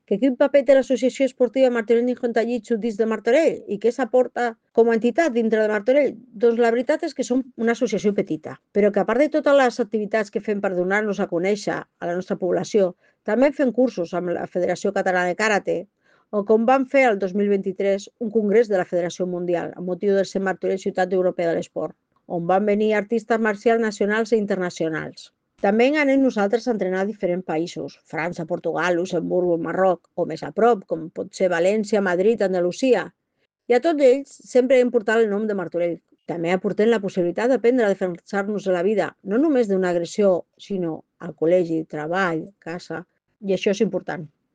Que quin paper té l'Associació Esportiva Martorell Nihon Jiu-Jitsu dins de Martorell i què s'aporta com a entitat dintre de Martorell? Doncs la veritat és que som una associació petita, però que a part de totes les activitats que fem per donar-nos a conèixer a la nostra població, també fem cursos amb la Federació Catalana de Karate, o com vam fer el 2023 un congrés de la Federació Mundial amb motiu de ser Martorell Ciutat Europea de l'Esport, on van venir artistes marcials nacionals i internacionals. També anem nosaltres a entrenar a diferents països, França, Portugal, Luxemburg, Marroc, o més a prop, com pot ser València, Madrid, Andalusia. I a tots ells sempre hem portat el nom de Martorell. També aportem la possibilitat d'aprendre a defensar-nos de la vida, no només d'una agressió, sinó al col·legi, treball, casa, i això és important.